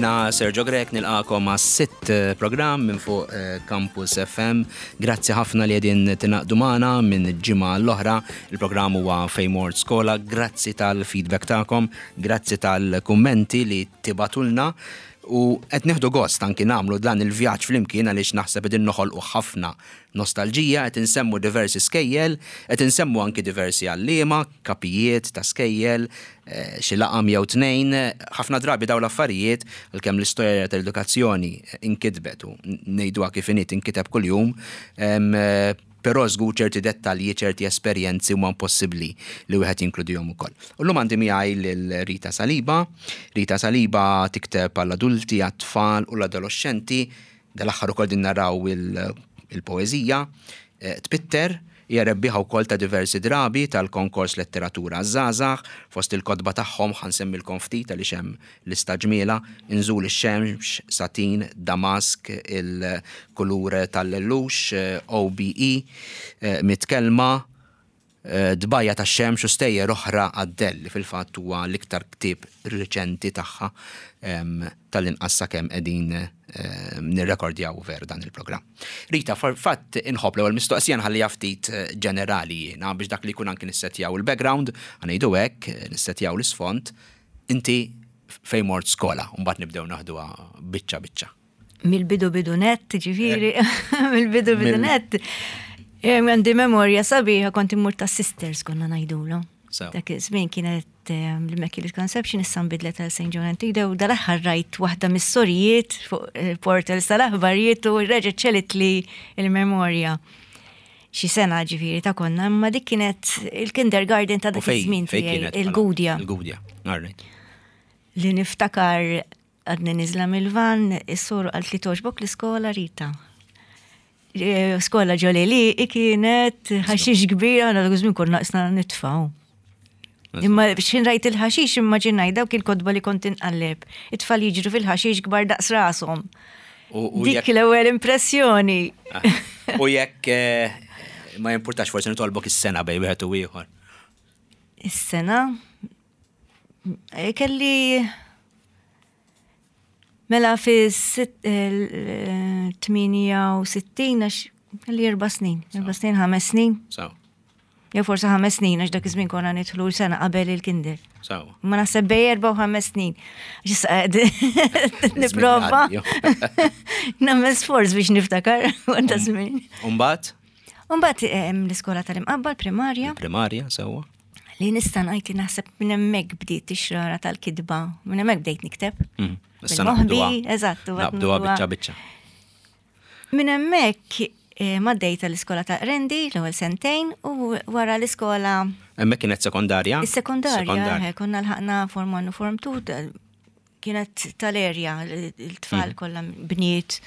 Jiena Sergio Grech nilqakom għas sitt eh, programm minn fuq eh, Campus FM. Grazzi ħafna li qegħdin tingħaqdu magħna minn ġimgħa l-oħra. Il-programm huwa Fejn Mort Skola. Grazzi tal-feedback tagħkom, grazzi tal-kummenti li tibatulna. U qed nieħdu gost anki nagħmlu dan il-vjaġġ flimkien għaliex naħseb qegħdin noħolqu ħafna nostalġija, qed insemmu diversi skejjel, qed insemmu anki diversi għalliema, kapijiet ta' skejjel, xi laqam jew tnejn. Ħafna drabi dawn l-affarijiet, għalkemm l-istorja tal-edukazzjoni inkitbet u ngħiduha kif inhi tinkiteb kuljum, però żgur ċerti dettalji, ċerti esperjenzi huma impossibbli li wieħed jinkludihom ukoll. U llum għandi miegħi lil Rita Saliba. Rita Saliba tikteb għall-adulti, għat-tfal u l-adoloxxenti. Dal-aħħar ukoll din naraw il-poeżija. Tpitter, hija rebbieħa wkoll ta' diversi drabi tal-Konkors Letteratura għaż-Żgħażagħ. Fost il-kotba tagħhom ħa nsemmilkom ftit għaliex hemm lista ġmielha, Inżul ix-Xemx, Satin, Damask, Il-Kulur tal-Lellux, OBE, Mitt Kelma, Tbajja' tax-Xemx u Stejjer Oħra għad-Dell li fil-fatt huwa l-iktar ktieb riċenti tagħha tal-inqas sakemm qegħdin nirrekordjaw veru dan il-programm. Rita, fatt inħobb l-ewwel mistoqsija nħalliha ftit ġenerali jiena biex dak li jkun anki nissettjaw il-background, ħa ngħidu hekk, nissettjaw l-isfond, inti fejn mort skola, u mbagħad nibdew naħduha biċċa biċċa. Mill-bidu bidu net, ġifiri, mill-bidu bidu net. Għandi memorja sabiħa kont immur ta' sisters konna ngħidulu. Dak iż-żmien kienet l-Immaculate Conception issa nbidlet għal St. John Antida u dal-aħħar rajt waħda mis-sorijiet fuq il-portals tal-aħbarijiet u reġgħet ċelitli il-memorja. Xi sena ġifieri ta' konna, imma dik kienet il-kindergarten ta' dak iż-żmien tiegħi, il-Gudja. Il-Gudja, all right. Li niftakar Għadni niżla mill-van, is-soru qalt li togħġbok l-iskola Rita. Skola ġoli li kienet ħaxix kbir, għana dak iż-żmien konna qisna nitfgħu. Imma x'ħin rajt il-ħaxix immaġinaj dawk il-kotba li kont inqalleb. It-tfal jiġru fil-ħaxix kbar daqs rashom. Dik l-ewwel impressjoni. Ah. U jekk eh, ma jimpurtax forsi nitolbok is-sena bej wieħed u ieħor. Is-sena? Eh, kelli mela fi 68 għax kelli erba' snin, erba' snin, ħames snin. Jew forsi ħames snin għax dak iż-żmien konna nidħlu sena qabel il-kinder. Ma naħseb bej erba' u ħames snin. Nipprova. Nagħmel sforz biex niftakar għanda żmien. Umbagħad? Umbagħad l-iskola tal-imqabba l-primarja. Primarja, sewwa. Li nista' ngħid li naħseb minn hemmhekk bdiet ix-xrara tal-kitba, minn hemmhekk bdejt nikteb. Mm, issa naqbduha. Eżatt, naqbduha biċċa biċċa. Minn hemmhekk eh, ma dejta l-iskola ta' Rendi l-ewwel sentejn u wara l-iskola. Hemmhekk kienet sekondarja? Is-sekondarja, eh, konna lħaqna form 1 u form 2 kienet tal-erja, il-tfal mm. kollha bniet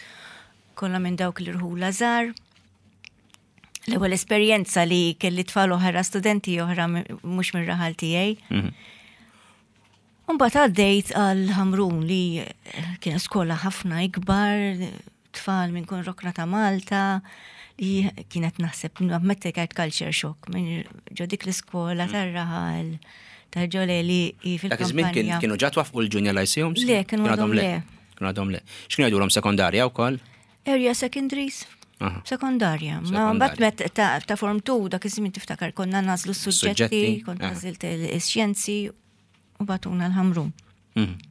kollha minn dawk l-irħula żgħar. L-ewwel esperjenza li kelli tfal oħra, studenti oħra mhux mir-raħal tiegħi. Mhm. Mbagħad għaddejt għal Ħamrun li kien skola ħafna ikbar, tfal minn kun rokna ta' Malta, li kienet naħseb meta kienet culture shock minn ġo dik l-iskola mhm. tar-raħal ta' ġole li fil Dak iż-żmien kienu ġa twaffqu l-junior lyceums? Le, kienu għadhom le. Kienu għadhom le. X'kienu jgħidulhom sekondarja wkoll? Area secondaries. Sekondarja. Ma mbagħad met ta' form 2 dak iż-żmien tiftakar konna nażlu s-suġġetti, kont nażilt is-xjenzi u batuna l-ħamrun. Mhm.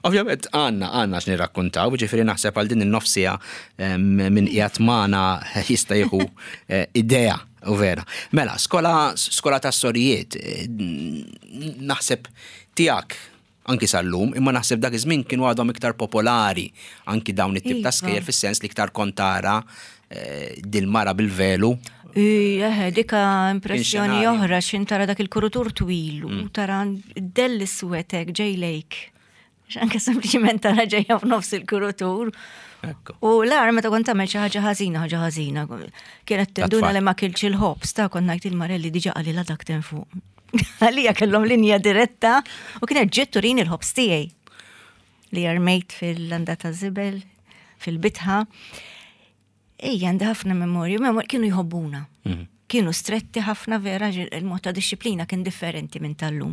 Ovvjament għanna għanna x'nirrakkuntaw, ġifieri naħseb għal din in-nofsija minn qiegħed magħna jista' jieħu eh, idea u vera. Mela, skola skola ta' sorijiet eh, naħseb tiegħek anki sal-lum, imma naħseb dak iż-żmien kienu għadhom iktar popolari anki dawn it-tip ta' iva. skejjel fis-sens li iktar kont tara eh, dil-mara bil-velu. Eħe, dika impressjoni oħra xin tara dak il-kurutur twil u mm. tara dell iswetek ġej lejk. Anke sempliċiment tara ġejja f'nofs il-kurutur. U l-ar meta kont tagħmel xi ħaġa ħażina, ħaġa ħażina. Kienet tinduna li ma kilx il-ħobż ta' kont ngħid il-marelli diġà qalilha dak fuq. Għalija kellhom linja diretta u kienet ġiet turini l-ħobż tiegħi li armejt fil-landa ta' żibel, fil-bitħa. Ejja, għandi ħafna memorju, memorju kienu jħobbuna. Mhm. Kienu stretti ħafna vera, il-mod ta' disċiplina kien differenti minn tal-lum.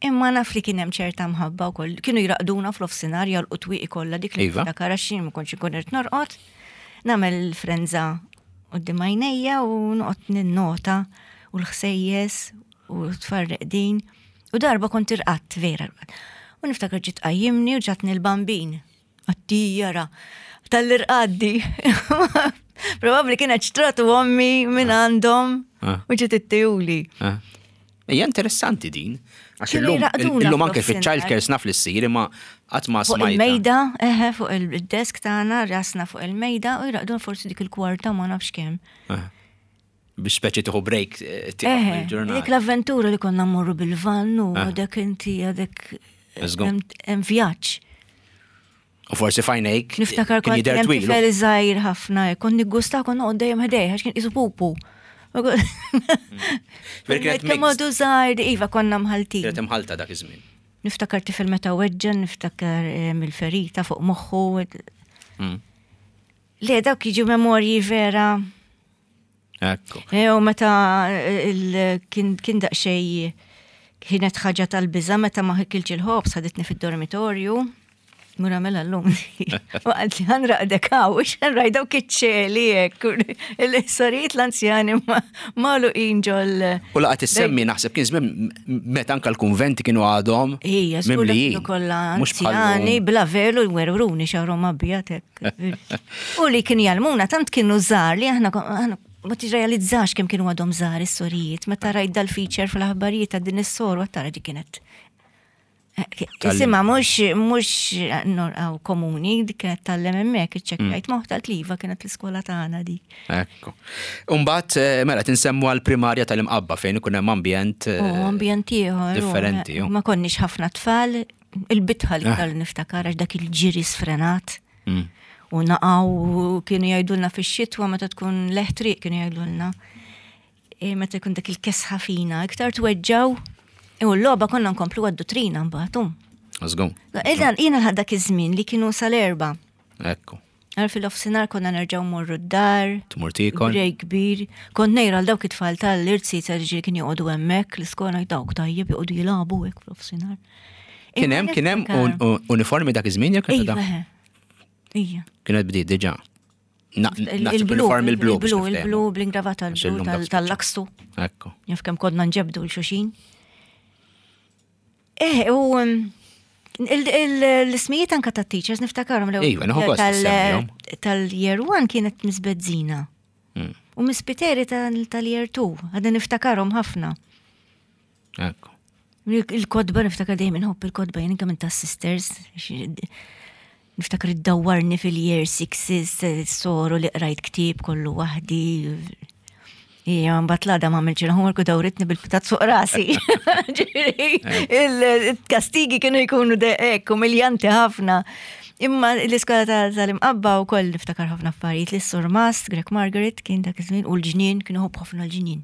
Imma naf li kien hemm ċerta mħabba wkoll. Kienu jraqduna fl-offsinar jgħalqu twieqi kollha dik li Iva. niftakar għax jien ma kontx inkun irid norqod. Nagħmel frenza quddiem għajnejja u noqgħod ninnota u l-ħsejjes u tfarreq din. U darba kont irqadt vera. rqadt. U niftakar ġiet qajjimni u ġatni l-bambin. Għattijara, tal-irqaddi. Probabli kienet xtratu ommi minn għandhom Ah. u ġiet ittijuli. Ah. Hija interessanti din. Għax Kienu illum jraqduna illum anke fl-offsinar. fiċ-child cares naf li ssir imma qatt ma Fuq smajta. il-mejda, eħe, fuq il-desk tagħna, rasna fuq il-mejda u jraqdun forsi dik il-kwarta ma nafx kemm. Ah. Biex speċi tieħu break eh, tieqaf Eħe, mill-ġurnata. dik l-avventura li konna mmorru bil-van u Ah. dak inti għadek Żgur. hemm hemm vjaġġ. U forsi fajnejk Niftakar kien kont jidher hemm twil. tifel żgħir ħafna, kont niggusta kont noqgħod dejjem ħdejh għax kien qisu pupu. Ver kienet Kemm mixed. għadu żgħir, iva konna mħaltin. Kienet imħalta dak iż-żmien. Niftakar tifel meta weġġa, niftakar eh, mill-ferita fuq moħħu. Mm. Le, dawk jiġu memorji vera. Ekku. E, U meta eh, il- kien kien daqsxejn kienet ħaġa tal-biża meta ma ħikilx il-ħobż ħaditni fid-dormitorju. Mura mela l-lum. U għalt li ħanraqdek hawn, xan dawk iċ-ċeli hekk. Il-sorijiet l-anzjani ma' ġol. U laqgħet issemmi naħseb kien żmien meta anke l-kunventi kienu għadhom Ija, żgur li mimlijin. kienu kollha Mhux bħal anzjani, lum. bla velu jwerwruni xarhom abjad hekk. U li kien jgħallmuna tant kienu żgħar li aħna aħna ma tirrealizzax kemm kienu għadhom żgħar is-sorijiet. Meta rajt dal-feature fl-aħbarijiet ta' din is-sor u tara dik kienet. Tal-lem. Isimha mhux mhux norqaw komuni, dik kienet tal-lem hemmhekk iċċekkjajt moħħ tal-tliva kienet l-iskola tagħna dik. Ekku. Umbagħad eh, mela tinsemmu għall-primarja tal-imqabba fejn ikun hemm ambjent eh, U ambjent ieħor. u differenti, ju. Ma konniex ħafna tfal, il-bitħa li iktar niftakar għax dak il-ġiri sfrenat. Mm. U naqaw u kienu jgħidulna fix-xitwa meta tkun leħtriq kienu jgħidulna. E, meta jkun dak il-kesħa fina, iktar tweġġaw. U l-logħba konna nkomplu għad-dutrina mbagħad. um. Żgur. Jiena jiena dak iż-żmien li kienu sal-erba. Ekku. Għal fil-offsinar konna nerġgħu morru d-dar. Tmur tiekol. Brej kbir. Kont nejra għal dawk it-tfal tal-irzi tal-ġiri kien joqogħdu hemmhekk l-iskola dawk tajjeb joqogħdu jilagħbu hekk fl-offsinar. Kien hemm kien hemm un- un- uniformi dak iż-żmien jew kienet Iva, da? eħe. Ija. Kienet bdiet diġà. Na- Il- Naħseb Il-blu, uniformi l-blu. biex il-blu, niftehmu. il-blu, bl-ingravata Għax l-blu illum dak tal- spiċċa. tal-lakstu. Ekku. Jaf kemm kodna nġebdu l-xuxin. Eh, u um, il- il- l-ismijiet anka ta' teachers niftakarhom l Iva, nieħu gost issemmihom. tal-year one kienet Miss Bezzina. Mm. U Miss Piteri tal- tal-year 2, għadna niftakarhom ħafna. Ekku. Il-kodba niftakar dejjem inħobb il-kodba jien anke minn tas-sisters. Niftakar iddawwarni fil-year sixes, soru li qrajt ktieb kollu waħdi. Ija, mbagħad l-għada ma għamilx il-homework u dawritni bil-pitat fuq rasi. Ġifieri, Il-kastigi kienu jkunu hekk umiljanti ħafna. Imma l-iskola ta- tal-imqabba u koll niftakar ħafna affarijiet li s-surmast, Greg Margaret kien dak iż-żmien u l-ġnien kienu ħobb ħafna l-ġnien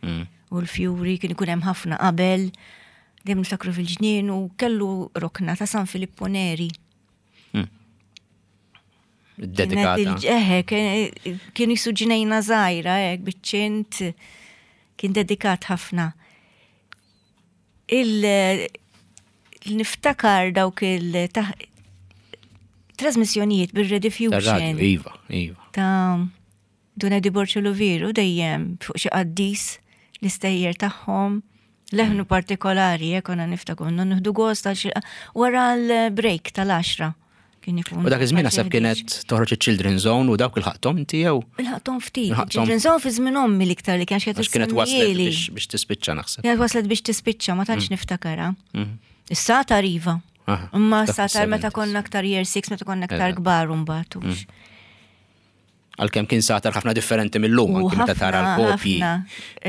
Mm. u l-fjuri kien ikun hemm ħafna qabel, dejjem niftakru fil-ġnien u kellu rokna ta' San Filippo Neri. Dedikata. Kienet il- Eħe, kien- kien jisu ġnejna żgħira hekk biċ-ċint kien dedikat ħafna. Il niftakar dawk il trasmissjonijiet Tar-radju, bil-rediffusion Iva, iva. ta' Duna di Borċoloviru dejjem fuq xi qaddis l-istejjer tagħhom leħnu partikolari jekk konna niftakru nieħdu gost għal xi wara l-break tal-10 kien ikun. U dak iż-żmien naħseb kienet toħroġ iċ-Children's Zone u dawk il-ħaqthom inti jew Il-ħaqthom ftit. Il-ħaqthom. Children's Zone fi żmien ommi l-iktar li kien għax kienet waslet biex biex tispiċċa naħseb. Kienet waslet biex tispiċċa ma tantx niftakara. Is-satar iva. Aha, Imma dak s-satar meta fis-70s. konna aktar year 6, meta konna aktar Eżatt. kbar mbagħad. hux. Għalkemm kien satar ħafna differenti mill-lum, U anki meta tara ħafna, l-kopji. ħafna.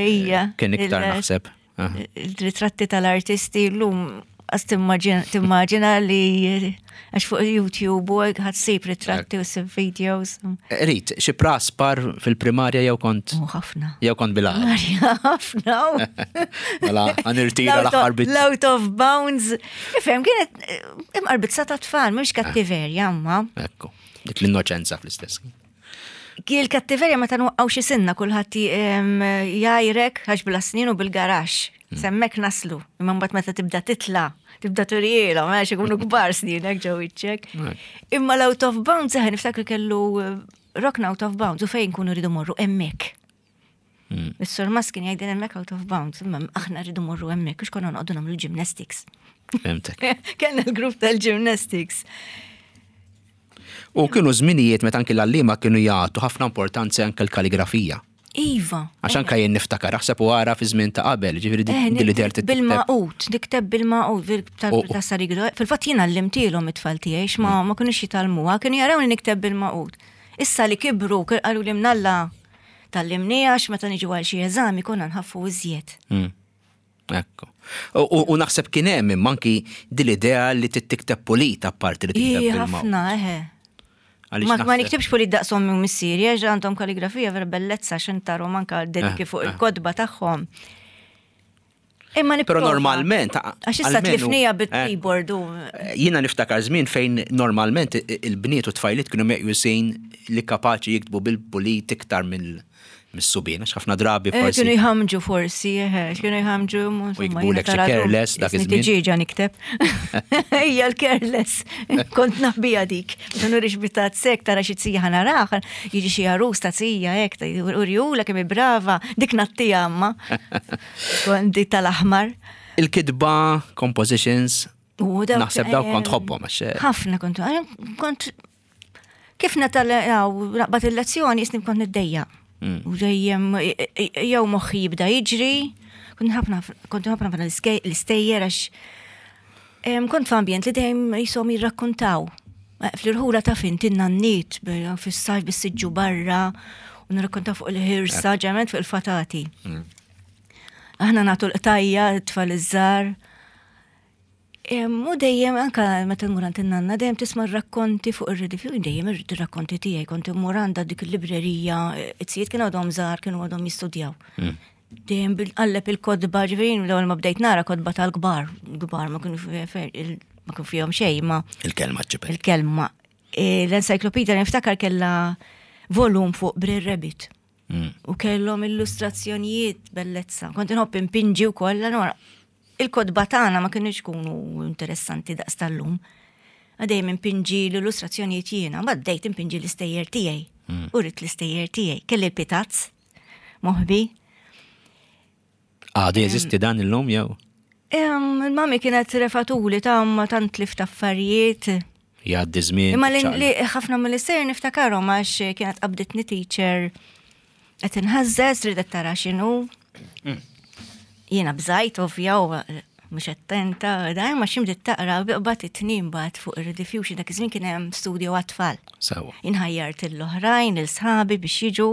Ija. Kien iktar Il- naħseb. Aha. Il-ritratti tal-artisti l-lum għas timmaġina li għax fuq YouTube u għad sib ritratti u sib videos. Rit, xi praspar fil-primarja jew kont U ħafna. jew kont bil-għaqal. Marja, ħafna. Mela, għanirtira l-aħħar bit. L-out of bounds. Ifhem, kienet eh, imqarbitza ta' tfal, mhux kattiverja, imma. Ekku, dik l-innoċenza fl-istess. Il-kattiverja meta nwaqqgħu xi sinna kulħadd jgħajrek għax bla snin u bil-garaxx. S'hemmhekk naslu. Imma mbagħad meta tibda titla', tibda turielhom għax ikunu kbar snienek ġo wiċċek. Imma l-out of bounds eħe niftakar kellu eh, rokna out of bounds u fejn kunu rridu morru hemmhekk. Hmm. Is-sur Mas kien jgħidin hemmhekk out of bounds, imma aħna rridu morru hemmhekk għax konna noqogħdu nagħmlu gymnastics. Fhimtek. Kellna l-grupp tal-gymnastics. U kienu żminijiet meta anki l-għalliema kienu jagħtu ħafna importanza anke l-kaligrafija. Iva. Għax anka jien niftakar, aħseb u għara fi żmien ta' qabel, ġifieri eh, din li Bil-maqut, nikteb bil-maqut, ta' sarigdo. Fil-fatt jien għallimtilhom it-tfal tiegħi x'ma mm. ma kinux jitgħallmuha, kienu jarawni nikteb bil-maqut. Issa li kibru, qalu li mnalla tal-limni għax meta niġu għal xi eżami konna nħaffu iżjed. Mm. Ekku. U naħseb kien hemm imma anki din l-idea li tikteb pulit apparti li tikteb bil-mawt. Ħafna, eħe. Ma niktibx pulit daqs ommi u missieri, għax għandhom kaligrafija vera bellezza xintarom anka dediki eh, fuq eh. il-kodba tagħhom. Imma Però normalment. Għax issa tlifnija eh, bil-keyboard u. Jiena niftakar żmien fejn normalment il-bniet u tfajliet kienu meqjusin li kapaċi jiktbu bil-pulit iktar mill- mis-subien, għax ħafna drabi eh, forsi. Kienu jħamġu forsi, eh, kienu jħamġu. U jiktbulek xi careless dak iż-żmien. Tiġiġa nikteb. Hija l-careless. Kont naħbija dik. Ma nurix bitat sek tara xi tija ħanaraħ, jiġi xi għarus ta' tija hekk, urjula kemm brava, dik nattija amma. Kont dik tal-aħmar. Il-kitba, compositions, naħseb dawk kont tħobbhom għax. Eh, ħafna kont, kont Kif natalaw naqbad il-lezzjoni jisni kont niddejja. Mm. U dejjem jew moħħi jibda jiġri, kont ħafna kont ħafna ħafna l-istejjer għax kont f'ambjent li dejjem jisom jirrakkontaw. Eh, fl-irħula ta' fin tinna n-nit fis-sajf bis-siġġu barra u nirrakkontaw fuq il-ħirsa, ġement fuq il-fatati. Mm. Aħna nagħtu l-qtajja, t-tfal iż-żar. U dejjem, anka meta nmur għand in-nanna, dejjem tisma' rakkonti fuq ir-redifju, dejjem irrid ir-rakkonti tiegħi, kont immur għandha dik il-librerija, it-sijiet kienu għadhom żgħar, kienu għadhom jistudjaw. Hmm. Dejjem bil-qalleb il-kodba, ġifieri l-ewwel ma bdejt nara kodba tal-kbar, kbar ma kienu ma kienu fihom xejn, ma. Il-kelma ċipel. Il-kelma. E, l-encyclopedia niftakar kellha volum fuq Brer Rabbit. Hmm. U kellhom illustrazzjonijiet bellezza. Kont inħobb impinġi wkoll, allora Il-kotba tagħna ma kinux ikunu interessanti daqs tal-lum. Dejjem impinġi l-illustrazzjonijiet jiena, mbagħad bdejt impinġi l-istejjer tiegħi. Hmm. U rrid l-istejjer tiegħi. Kelli l-pitazz moħbi. Għadu jeżisti dan illum jew? Il-mami kienet refatuli ta' ma tant li affarijiet. Jgħaddi żmien. Imma li ħafna mill-istejjer niftakarhom għax kienet qabditni teacher Qed inħażżeż ridet tara x'inhu. Mm. Jiena bżajt ovvja u mhux attenta, da ma xi bdiet taqra biqbad it-tnien bad fuq ir-rediffusion dak iż-żmien kien hemm studio għat-tfal. Sewa. Inħajjart l-oħrajn, il-sħabi biex jiġu.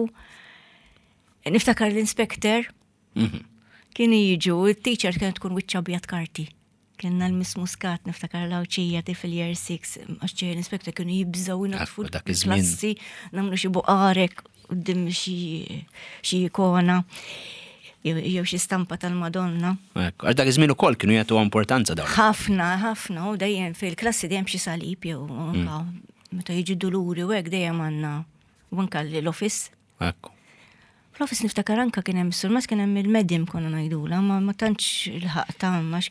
Niftakar l-inspector. Mhm. Kienu jiġu, il-teacher kienet tkun wiċċa bjad karti. Kellna l-Miss Muscat niftakar l-Għawdxija ti fil-year 6, għax ġej l-inspector kienu jibżgħu jnaddfu dak iż-żmien. klassi, nagħmlu xi buqarek quddiem xi ikona jew xi stampa tal-Madonna. Ekku, għax dak iż-żmien ukoll kienu jagħtu importanza dawn. Ħafna, ħafna, u dejjem fil-klassi dejjem xi salib jew anka meta jiġi duluri u hekk dejjem għandna u anka l-office. Ekku. Fl-office niftakar anka kien hemm is-surmas kien hemm il-medim konna ngħidula, ma ma tantx il-ħaq ta' ma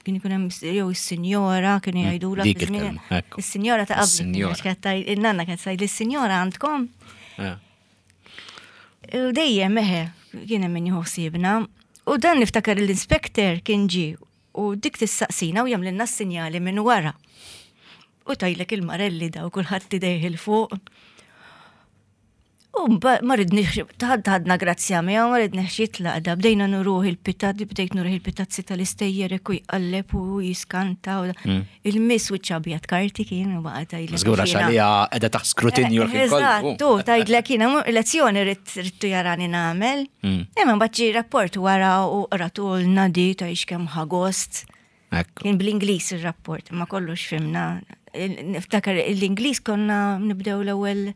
kien ikun hemm jew is-sinjora kienu mm, jgħidula. Dik il-kelma, Is-sinjora ta' qabel. Il-nanna kienet tgħid is-sinjora għandkom. Eh. U dejjem eħe kien hemm min jieħu ħsiebna. U dan niftakar l-inspector kien ġi u dik tissaqsina u jagħmlilna s-sinjali minn wara. U tajlek il-marelli daw kulħadd idejh il fuq. U ma ridniex, ħadna grazzja miegħu, ma ridniex jitlaq da, bdejna nuruh il-pitazzi, bdejt nuruh il-pitazzi tal-istejjer u jqalleb u jiskanta. Mm. Il-miss u ċabjat karti kien u baqa' tgħidlek. Żgur għax għalija qiegħda taħt skrutinju l-ħin kollu. Eżatt, tu tgħidlek jiena lezzjoni ridtu jarani nagħmel. Mm. Imma mbagħad ġie rapport wara u qratulna di ta' kemm ħagost. Kien bl-Ingliż ir-rapport, ma kollox fimna. Niftakar l-Ingliż konna nibdew l-ewwel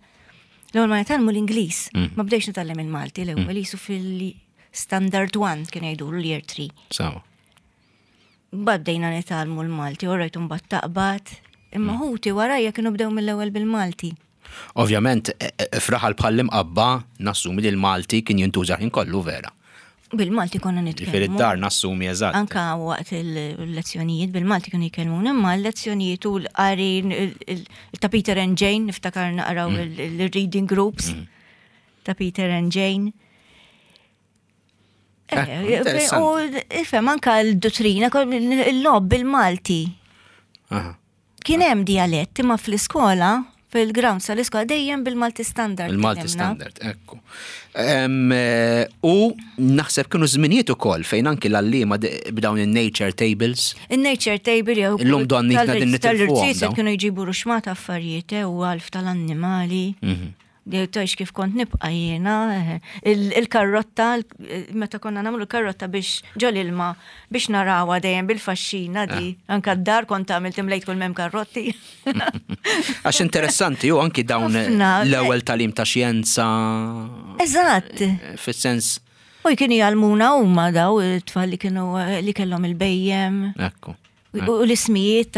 l-ewwel ma nitgħallmu l-Ingliż. Mm. Ma bdejx nitgħallem il-Malti l-ewwel mm. jisu fil-standard 1 kien jgħidu l-year 3. Sawa. Mbagħad bdejna nitgħallmu l-Malti, u rajtu mbagħad taqbad. Imma mm. ħuti warajja kienu bdew mill-ewwel bil-Malti. Ovvjament, e, e, f'raħal bħall-Imqabba nassumi li l-Malti kien jintuża ħin kollu vera. Bil-Malti konna nitkellmu. Ġifieri d-dar nassumi eżatt. Anka waqt il-lezzjonijiet bil-Malti kienu jkellmuna, imma l-lezzjonijiet u l-qari ta' Peter and Jane, niftakar naqraw il-reading groups ta' Peter and Jane. Eh, Eh, U ifhem anka l-dottrina, il-lob bil-Malti. Kien hemm dialett imma fl-iskola, fil-grounds tal-iskola dejjem bil-Malti standard. Il-Malti tkellimna. standard, ekku. Eh, U naħseb kienu żminijiet ukoll fejn anki l-għalliema b'dawn il-nature tables. Il-nature table jew Illum donni tal- qegħdin nitilfuhom tal-irċiet dawn. kienu jġibu ruxmata affarijiet eh, u għalf tal-annimali. Tajx kif kont nibqa jiena, eh, il-karrotta, meta konna nagħmlu karrotta biex ġol ilma biex narawa dejjem bil-faxxina di, anka d-dar kont għamilt imlejt kull mem karrotti. Għax interessanti u anki dawn Ħafna. l-ewwel talim ta' xjenza. Eżatt. Fis-sens, U kienu jgħalmuna huma daw it-tfal li kienu li kellhom il-bejjem. ekku. U l-ismijiet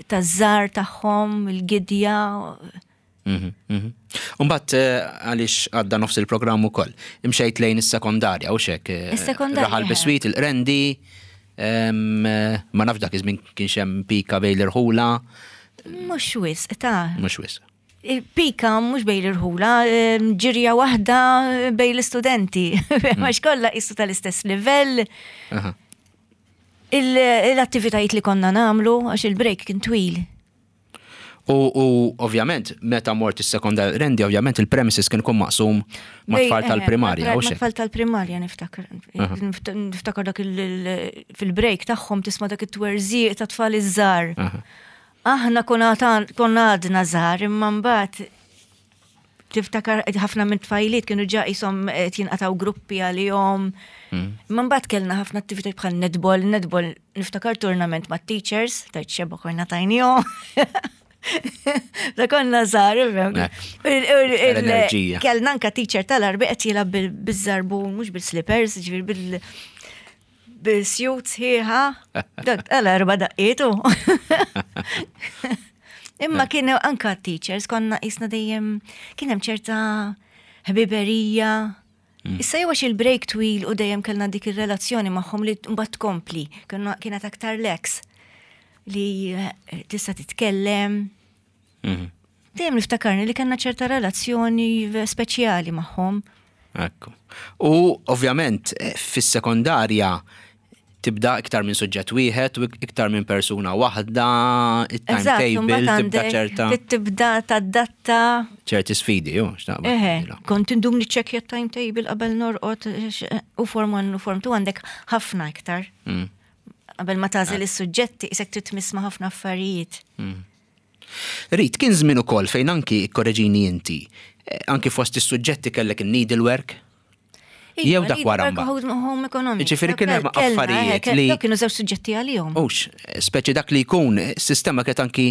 ta' żar tagħhom, il-gidja. Umbat għaliex għadda nofs il-programm ukoll. Imxejt lejn is-sekondarja u xek. Is-sekondarja, Raħal eh. biswit il-qrendi. Ma nafx dak iż-żmien kienx hemm pika bejn l-irħula, Mhux wisq ta' mhux wisq. Pika mhux bejn l-irħula, ġirja waħda bejn l-istudenti. Għax kollha qisu tal-istess livell. Aha. Il-attivitajiet li konna nagħmlu għax il-break kien twil. U ovvjament, meta mort is-sekondarja rendi, ovvjament il-premises kien ikun maqsum ma' Bej- tfal eh, tal-primarja, u Ma' xek. tfal tal-primarja niftakar. Niftakar dak fil-break tagħhom tisma' dak it-twerżiq ta' tfal iż-żgħar. Aħna konna għadna żgħar imma mbagħad tiftakar ħafna minn tfajliet kienu ġa qishom qed jinqataw gruppi għalihom. Imma mbagħad kellna ħafna attivitajiet bħal netball, netball niftakar tournament ma' teachers, tajt xebgħa konna tajnihom. Da konna żgħar, ifhem. Eh, L-enerġija. Kellna anka teacher tal-arbi qed jilgħab bil-żarbun, mhux bil-slippers, ġifier bil bil-suit sħiħa. Dak tal-arba daqqietu. Imma kienu anka teachers konna jisna dejjem kien hemm ċerta ħbiberija. Issa jew għax il-break twil u dejjem kellna dik ir-relazzjoni magħhom li mbagħad tkompli, kienet aktar leks li tista' titkellem. Dejjem niftakarni li kellna ċerta relazzjoni speċjali magħhom. Ekku. U ovvjament fis-sekondarja tibda iktar minn suġġett wieħed u iktar minn persuna waħda, Eżatt, il-timetable mbagħad tibda għandek ċerta tibda tadatta. ċerti sfidi, jo, x'naqbad. Eħe, kont indum niċċekkja timetable qabel norqod u form 1 u form 2 għandek ħafna iktar. Qabel ma tagħżel is-suġġetti isek trid tmiss ma' ħafna affarijiet. Rit, kien żmien ukoll fejn anki korreġini inti, anki fost is-suġġetti kellek il-needlework, Jew Iva, dak wara mbagħad. Home economics. Jiġifieri kien hemm Kellna, affarijiet kellna, li- Dawk kienu żewġ suġġetti għalihom. Ux, speċi dak li jkun, sistema kienet anki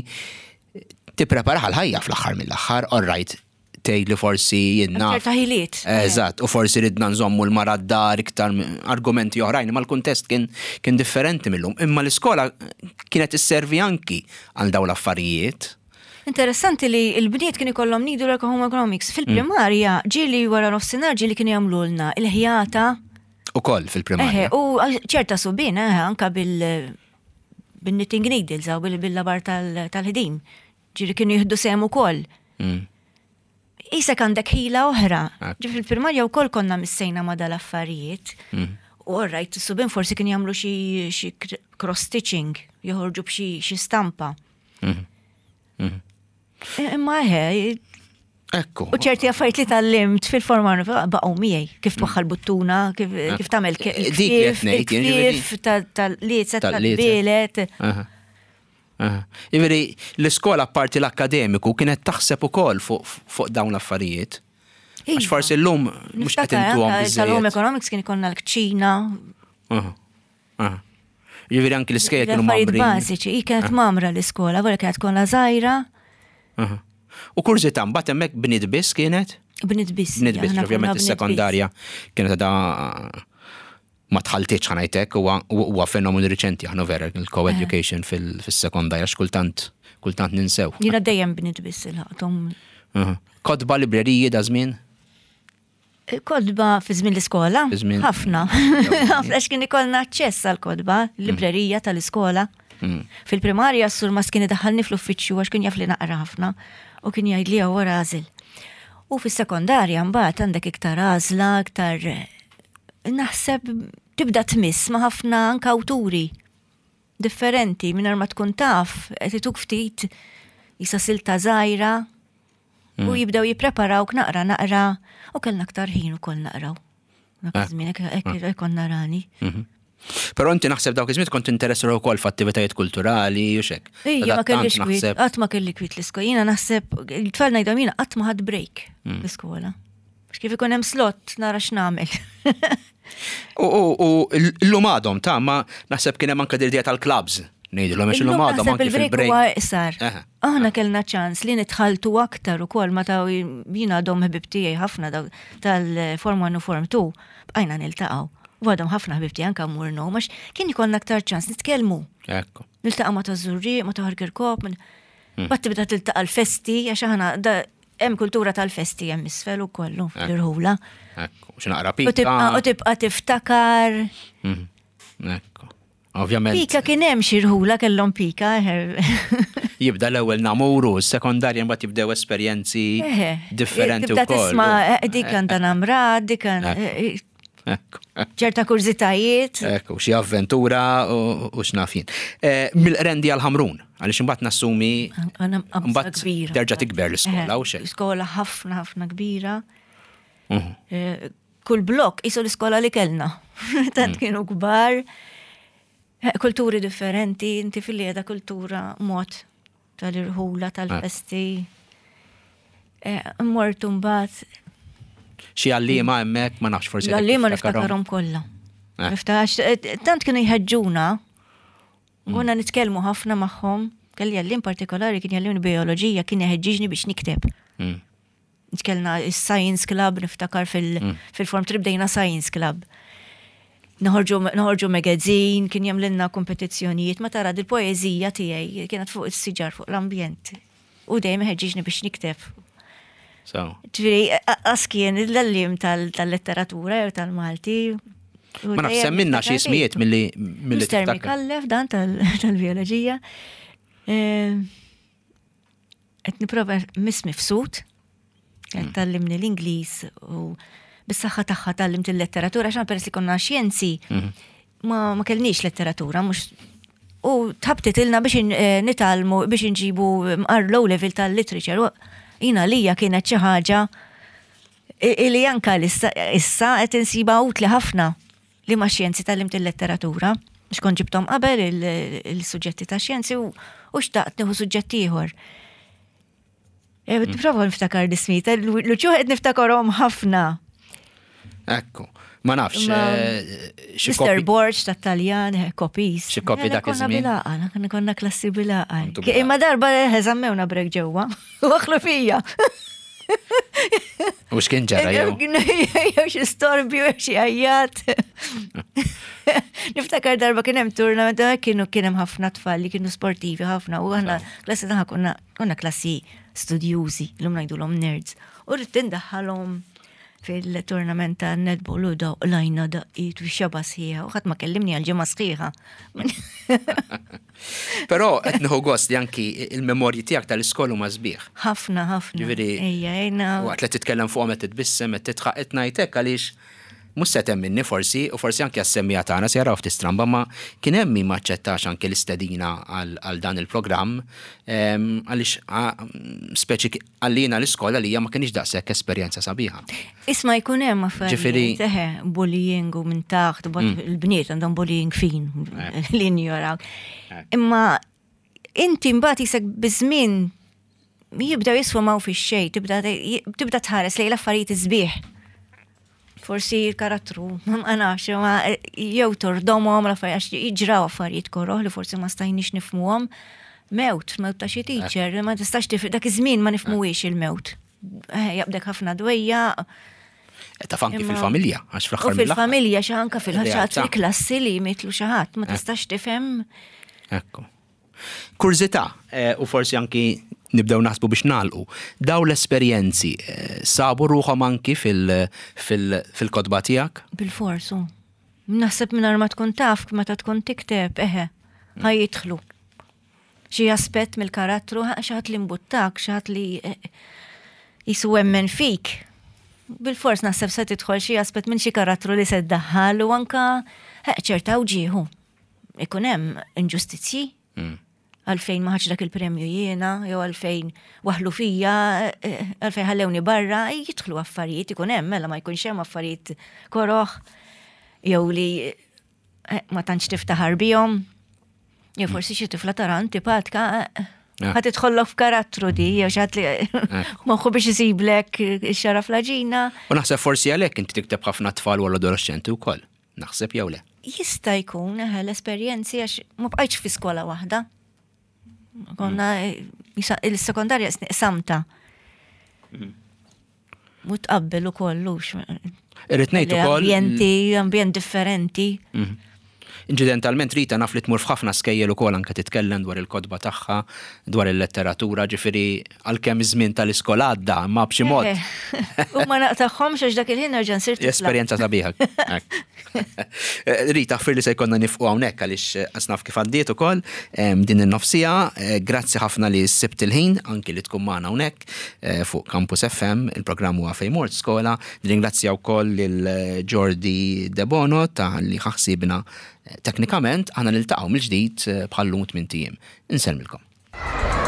tipprepara ħal-ħajja fl-aħħar mill-aħħar, all right, tgħid li forsi jinnna. Ċerta ħiliet. Eżatt, u forsi ridna nżommu l-mara d-dar iktar argumenti oħrajn, imma l-kuntest kien, kien differenti millum. Imma l-iskola kienet isservi anki għal dawn l-affarijiet. Interessanti li l-bniet kien ikollhom needlework u home economics. Fil-primarja ġieli wara nofsinhar ġieli kienu jagħmlulna il-ħjata. Ukoll Eħe, fil-primarja. u ċerta subien, eħe, anka bil bil-knitting needles aw bil-labar tal-ħdim. Ġieli kienu jieħdu sehem ukoll. Isek għandek ħila oħra. Ekku. Ġi fil-primarja wkoll konna missejna ma dal-affarijiet. U orrajt, subien forsi kien jagħmlu xi cross-stitching, joħorġu b'xi xi stampa. Imma eħe, Ekku. u ċerti affarijiet li tallimt fil-forma baqgħu miegħi, kif twaħħal buttuna, kif tagħmel Dik li qed ngħid, jien ġifieri. kif tal-liezet, Tal-liezet. tal-bielet. Aha. Aha. Jiġifieri l-iskola apparti l-akkademiku kienet taħseb ukoll fuq dawn l-affarijiet. Għax Iva. forsi llum mhux qed Niftakar intuhom anka Tal-home biżżejjed. economics kien ikollna l-kċina, Aha. Aha. Jiġifieri anki l-iskejjel kienu l-affarijiet mamrin. bażiċi, hi kienet mamra l-iskola, wara kienet kollha żgħira, Aha. U kurżità mbagħad hemmhekk bniet biss kienet? bniet biss. Bniet biss, aħna konna ovvjament bniet is-sekondarja kienet għadha ma tħaltitx ħanajtek, huwa fenomenu riċenti aħna vera il-co-education fis-sekondarja x'kultant kultant ninsew. biss. Jiena dejjem bniet biss il-ħaqthom. Kotba, libreriji da żmien? Kotba fi żmien l-iskola? Ħafna. Ħafna għax kien ikollna aċċess għal kotba, librerija tal-iskola. Fil-primarja s-surmast kien idaħħalni fl-uffiċċju għax kien jaf li naqra ħafna u kien jgħidli hawn wara għażel. U fis-sekondarja mbagħad għandek iktar għażla, iktar naħseb tibda tmiss ma' ħafna anke awturi differenti mingħajr ma tkun taf, qed ituk ftit jisa silta żgħira u jibdew jippreparawk naqra naqra u kellna aktar ħin ukoll naqraw. Dak ah. iż-żmien hekk konna rani. Mhm. Però inti naħseb dawk iż-żmien kont interessa wkoll f'attivitajiet kulturali u xek. Ejja, ma kellix kwiet, qatt ma kelli kwiet l-iskola. Jiena naħseb il-tfal ngħidhom jiena qatt ma ħadd break mm. l-iskola. Kif ikun hemm slot nara x'nagħmel. U l-lum għadhom ta' ma naħseb kien hemm anke dil tal-clubs. Ngħidilhom għax illum għadhom anke fil-break. Huwa iqsar. Aħna kellna ċans li nitħaltu aktar ukoll ma ta' jiena għadhom ħbib tiegħi ħafna tal-Form 1 u Form 2 bqajna niltaqgħu. U għadhom ħafna ħbib tiegħi anke mmur għax kien ikollna aktar ċans nitkellmu. Ekku. Niltaqa' ma ta' Żurrieq, ma ta' Ħarkirkop, Bat tibda tiltaqa' l-festi għax aħna hemm kultura tal-festi hemm isfel u kollu l-irħula. Ekku, xi naqra pika. U tibqa' tiftakar. Mhm. Ekku. Ovvjament. Pika kien hemm xi rħula kellhom pika. Jibda l-ewwel namuru, s-sekondarja mbagħad jibdew esperjenzi differenti wkoll. Tibda tisma' eh, dik għandha namra, dik ċerta kurżitajiet. Ekku, xi avventura u x'naf jien. Eh, mill-qrendi għal ħamrun, għaliex imbagħad nassumi mbagħad terġa' tikber l-iskola u xejn. Skola ħafna ħafna kbira. Mhm. Eh, kull blok isu l-iskola li kellna. Tant mm. kienu kbar, eh, kulturi differenti, inti fil-lieda kultura mod tal-irħula, tal-festi. Eh, mortu mbagħad. Xi għalliema hemmhekk ma nafx forsi. L-għalliema niftakarhom kollha. Eh. Niftax, eh, tant kienu jħeġġuna, mm. konna nitkellmu ħafna magħhom, kelli għallim partikolari kien jgħallimni bioloġija kien jħeġġiġni biex nikteb. Mm. Kellna science club, niftakar mm. fil-form trip bdejna science club. Noħorġu magazine, kien jagħmlilna kompetizzjonijiet, ma tara dil-poeżija tiegħi kienet fuq is-siġar fuq l-ambjent. U dejjem ħeġġiġni biex nikteb. Ġifieri, qas kien l-għalliem tal-letteratura jew tal-Malti. Ma nafx semminna xi ismijiet milli milli Mr. Mikallef dan tal-bioloġija. Eh, Qed nipprova miss mifsud, qed mm. tallimni l-Ingliż u bis-saħħa tagħha tallimt il-letteratura għax peress li konna xjenzi mhm. ma, ma kellniex letteratura mhux u tħabtit ilna biex eh, nitalmu biex inġibu mqar low level tal-literature. Jina lija kienet xi ħaġa li anka issa qed insiba utli ħafna. Liema xjenzi tgħallimt il-letteratura? Għax kont ġibthom qabel il-suġġetti ta' xjenzi u xtaqt nieħu suġġett ieħor. Eh, mm. Prova niftakar l-ismijiet, l-uċuħ qed niftakarhom ħafna. Ekku, ma nafx. Eh, Mr. Borg ta' Taljan, eh, kopis. Xi kopi dak iż-żmien. Konna konna klassi bilaqal. Imma darba żammewna brek ġewwa. Waħlu fija. U x'kien ġara jew? Jew xi storbju, jew xi għajjat. Niftakar darba kien hemm tournament eh, kienu kien hemm ħafna tfal li kienu sportivi ħafna u aħna klassi tagħna konna konna klassi studjużi, llum ngħidulhom nerds. U rrid tindaħħalhom fil-tournament ta' netball u daw lajna daqqiet u xaba sħiħa u ħadd ma kellimni għal ġimgħa sħiħa. Però qed nieħu gost li anki il-memorji tiegħek tal-iskola huma sbieħ. Ħafna, ħafna. Ġifieri. Ejja, ejna. Waqt li titkellem fuqhom qed titbissem qed titħaq qed ngħid hekk għaliex mhux se temminni forsi u forsi anki għas-semmiegħa tagħna se jaraw ftit stramba ma kien hemm min ma aċċettax anki l-istedina għal dan il-programm għaliex speċi Għalina l-iskola li hija ma kienx daqshekk esperjenza sabiħa. Isma' jkun hemm affarijiet, eħe, bullying u minn taħt, mm. il-bniet għandhom bullying fin eh. li njoraw. Eh. Imma inti mbagħad jisek biż-żmien jibdew jisfumaw fix-xejn, tibda tħares lejn l-affarijiet iżbieħ. Forsi il-karattru, ma nafx, ma jew tordomhom l-affarijiet għax jiġraw affarijiet koroh li forsi ma stajniex nifhmuhom. Mewt, mewt ta' xi teacher, ma tistax tif dak iż-żmien ma nifhmuhiex il-mewt. Eh, jaqbdek ħafna dwejja. Eh, taf anki fil-familja, għax fl-aħħar. Fil-familja xi anka fil-ħadd fil-klassi li jmitlu xi ħadd, ma eh. tistax tifhem. Ekku. Kurżità, eh, u forsi anki nibdew naħsbu biex nagħlqu. Daw l-esperjenzi eh, sabu ruħhom anki fil-kotba tiegħek? Bil-forsu. Naħseb mingħajr ma tkun taf meta tkun tikteb, eħe, ħa jidħlu. Xi aspett mill-karattru, xi ħadd li mbuttak, xi ħadd li eh, jisu emmen fik. Bil-fors naħseb se tidħol xi aspett minn xi karattru li se ddaħħal u anka eh, ċerta uġieħu. Ikun hemm inġustizzji. Għalfejn ma ħadx dak il-premju jiena, jew għalfejn waħlu fija, eh, għalfejn ħallewni barra, jidħlu affarijiet ikun hemm, mela ma jkunx hemm affarijiet koroħ, jew li eh, ma tantx tiftaħar bihom, jew forsi xi tifla tara antipatka, eh, ah. ħa tidħollok f'karattru di, jew xi ħadd li moħħu biex isiblek ix-xara fl-aġina. U naħseb forsi għalhekk inti tikteb ħafna tfal u adolescenti wkoll. Naħseb jew le? Jista' jkun eħe l-esperjenzi għax ma bqajtx fi skola waħda. Konna il-sekondarja samta. Mm. Mu tqabbel ukoll hux. Irrid ngħid ukoll. Ambjenti, ambjent differenti. Mm. Inċidentalment Rita naf li tmur f'ħafna skejjel ukoll anke titkellem dwar il-kotba tagħha, dwar il-letteratura, ġifieri għalkemm iż-żmien tal-iskola għadda, imma b'xi mod. U ma naqtagħhomx għax dak il-ħin nerġa' nsir tifla. Esperjenza sabiħa. Rita, ħfir li se jkollna nifqu hawnhekk għaliex qas naf kif għaddiet ukoll din in-nofsija. Grazzi ħafna li sibt il-ħin anki li tkun magħna hawnhekk fuq Campus FM, il-programm huwa Fejn Mort Skola. Nirringrazzja wkoll lil Jordi Debono ta' li ħa ħsiebna teknikament. Aħna niltaqgħu mill-ġdid bħal-lum tmint ijiem. Insellmilkom.